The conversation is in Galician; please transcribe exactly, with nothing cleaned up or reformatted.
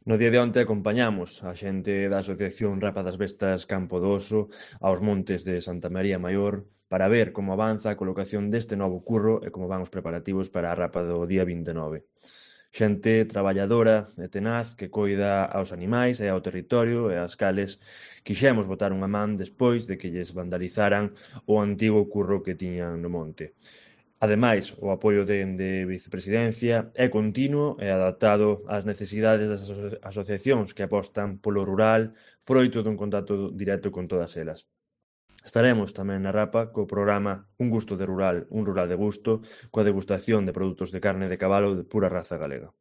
No día de onte acompañamos a xente da Asociación Rapa das Bestas Campo do Oso aos montes de Santa María Maior para ver como avanza a colocación deste novo curro e como van os preparativos para a rapa do día vinte e nove. Xente traballadora e tenaz que coida aos animais e ao territorio e ás cales quixemos botar unha man despois de que lles vandalizaran o antigo curro que tiñan no monte. Ademais, o apoio dende Vicepresidencia é continuo e adaptado ás necesidades das aso- asociacións que apostan polo rural, froito dun contacto directo con todas elas. Estaremos tamén na Rapa co programa Un gusto de rural, un rural de gusto, coa degustación de produtos de carne de cabalo de pura raza galega.